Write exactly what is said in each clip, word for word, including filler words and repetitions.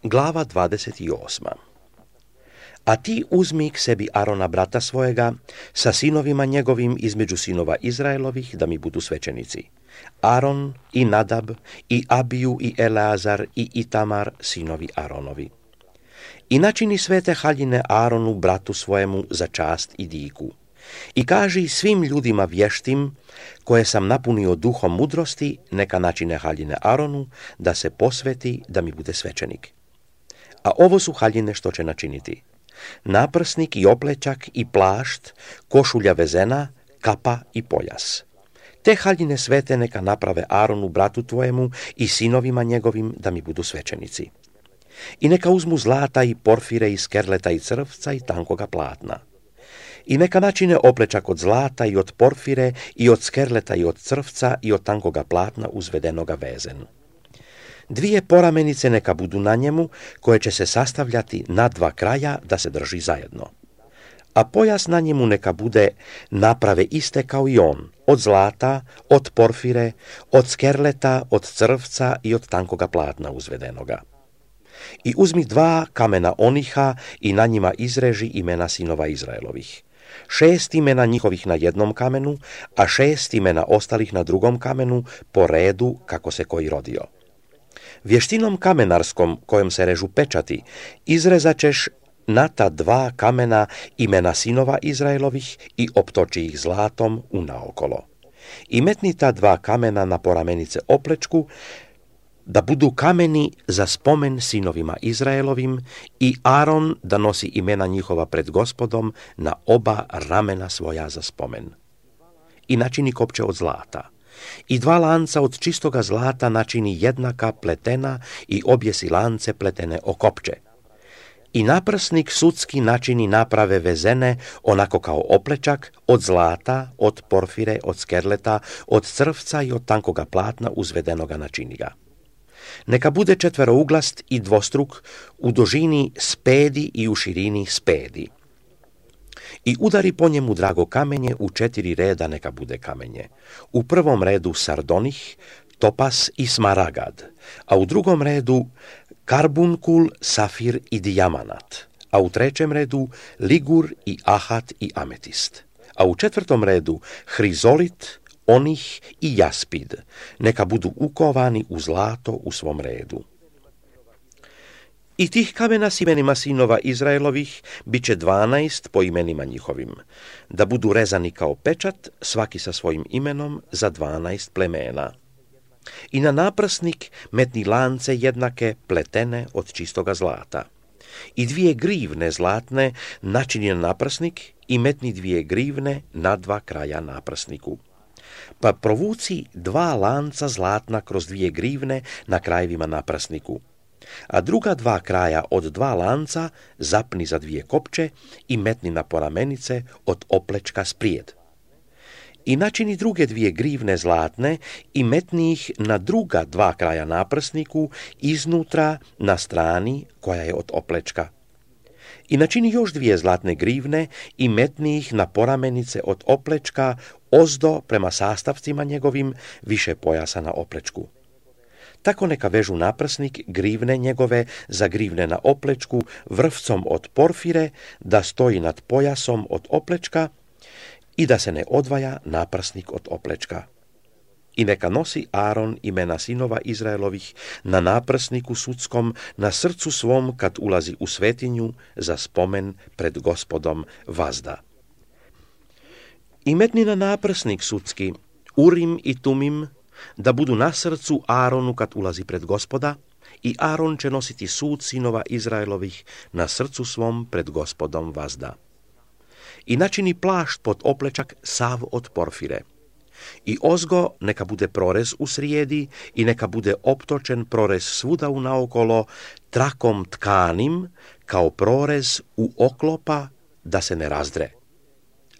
Glava dvadeset osma. A ti uzmi k sebi Arona brata svojega sa sinovima njegovim između sinova Izraelovih da mi budu svećenici. Aron i Nadab i Abiju i Eleazar i Itamar sinovi Aronovi. I načini svete haljine Aronu bratu svojemu za čast i diku. I kaži svim ljudima vještim koje sam napunio duhom mudrosti neka načine haljine Aronu da se posveti da mi bude svećenik. A ovo su haljine što će načiniti: naprsnik i oplećak i plašt, košulja vezena, kapa i pojas. Te haljine svete neka naprave Aronu bratu tvojemu i sinovima njegovim da mi budu svećenici. I neka uzmu zlata i porfire i skerleta i crvca i tankoga platna. I neka načine oplećak od zlata i od porfire i od skerleta i od crvca i od tankoga platna uzvedenoga vezen. Dvije poramenice neka budu na njemu, koje će se sastavljati na dva kraja da se drži zajedno. A pojas na njemu neka bude naprave iste kao i on, od zlata, od porfire, od skerleta, od crvca i od tankoga platna uzvedenoga. I uzmi dva kamena oniha i na njima izreži imena sinova Izraelovih. Šest imena njihovih na jednom kamenu, a šest imena ostalih na drugom kamenu, po redu kako se koji rodio. Vještinom kamenarskom kojom se režu pečati izrezat ćeš na ta dva kamena imena sinova Izraelovih i optoči ih zlatom unaokolo. I metni ta dva kamena na poramenice oplečku, da budu kameni za spomen sinovima Izraelovim, i Aron da nosi imena njihova pred Gospodom na oba ramena svoja za spomen. I načini kopče od zlata. I dva lanca od čistoga zlata načini jednaka pletena i objesi lance pletene o kopče. I naprsnik sudski načini naprave vezene onako kao oplečak od zlata, od porfire, od skerleta, od crvca i od tankoga platna uzvedenoga načini ga. Neka bude četverouglast i dvostruk, u dužini spedi i u širini spedi. I udari po njemu drago kamenje, u četiri reda neka bude kamenje. U prvom redu sardonih, topas i smaragad, a u drugom redu karbunkul, safir i dijamanat, a u trećem redu ligur i ahat i ametist, a u četvrtom redu hrizolit, onih i jaspid, neka budu ukovani u zlato u svom redu. I tih kamena s imenima sinova Izraelovih bit će dvanaest po imenima njihovim, da budu rezani kao pečat, svaki sa svojim imenom za dvanaest plemena. I na naprsnik metni lance jednake pletene od čistoga zlata. I dvije grivne zlatne načini na naprsnik i metni dvije grivne na dva kraja naprsniku. Pa provuci dva lanca zlatna kroz dvije grivne na krajevima naprsniku, a druga dva kraja od dva lanca zapni za dvije kopče i metni na poramenice od oplečka sprijed. I načini druge dvije grivne zlatne i metni ih na druga dva kraja naprsniku iznutra na strani koja je od oplečka. I načini još dvije zlatne grivne i metni ih na poramenice od oplečka ozdo prema sastavcima njegovim više pojasa na oplečku. Tako neka vežu naprsnik grivne njegove za grivne na oplečku vrvcom od porfire, da stoji nad pojasom od oplečka i da se ne odvaja naprsnik od oplečka. I neka nosi Aron imena sinova Izraelovih na naprsniku sudskom na srcu svom kad ulazi u svetinju za spomen pred Gospodom vazda. I metni na naprsnik sudski Urim i Tumim, da budu na srcu Aronu kad ulazi pred Gospoda, i Aron će nositi sud sinova Izraelovih na srcu svom pred Gospodom vazda. I načini plašt pod oplečak sav od porfire. I ozgo neka bude prorez u srijedi i neka bude optočen prorez svuda unaokolo trakom tkanim kao prorez u oklopa da se ne razdre.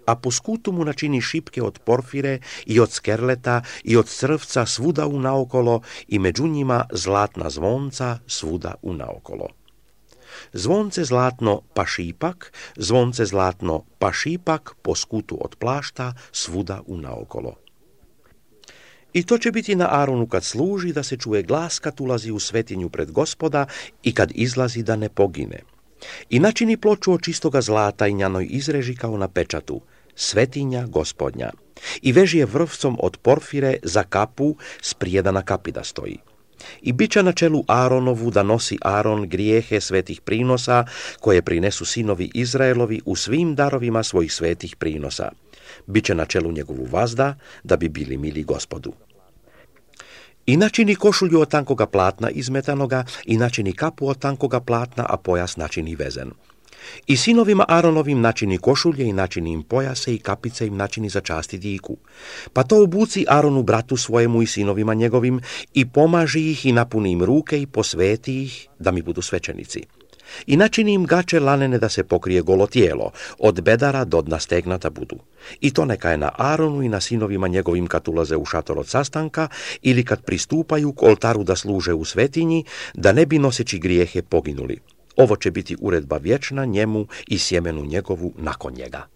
A po skutu mu načini šipke od porfire i od skerleta i od crvca svuda unaokolo i među njima zlatna zvonca svuda unaokolo. Zvonce zlatno pa šipak, zvonce zlatno pa šipak po skutu od plašta svuda unaokolo. I to će biti na Aronu kad služi, da se čuje glas kad ulazi u svetinju pred Gospoda i kad izlazi da ne pogine. I načini ploču od čistoga zlata i njanoj izreži kao na pečatu, svetinja Gospodnja. I veži je vrvcom od porfire za kapu, sprijeda na kapi da stoji. I bit će na čelu Aronovu da nosi Aron grijehe svetih prinosa koje prinesu sinovi Izraelovi u svim darovima svojih svetih prinosa. Biće na čelu njegovu vazda da bi bili mili Gospodu. I načini košulju od tankoga platna izmetanoga i načini kapu od tankoga platna, a pojas načini vezen. I sinovima Aronovim načini košulje i načini im pojase i kapice im načini za časti diku. Pa to obuci Aronu bratu svojemu i sinovima njegovim i pomaži ih i napuni im ruke i posveti ih da mi budu svećenici. I načini im gače lanene da se pokrije golo tijelo, od bedara do dna stegnata budu. I to neka je na Aronu i na sinovima njegovim kad ulaze u šator od sastanka ili kad pristupaju k oltaru da služe u svetinji, da ne bi noseći grijehe poginuli. Ovo će biti uredba vječna njemu i sjemenu njegovu nakon njega.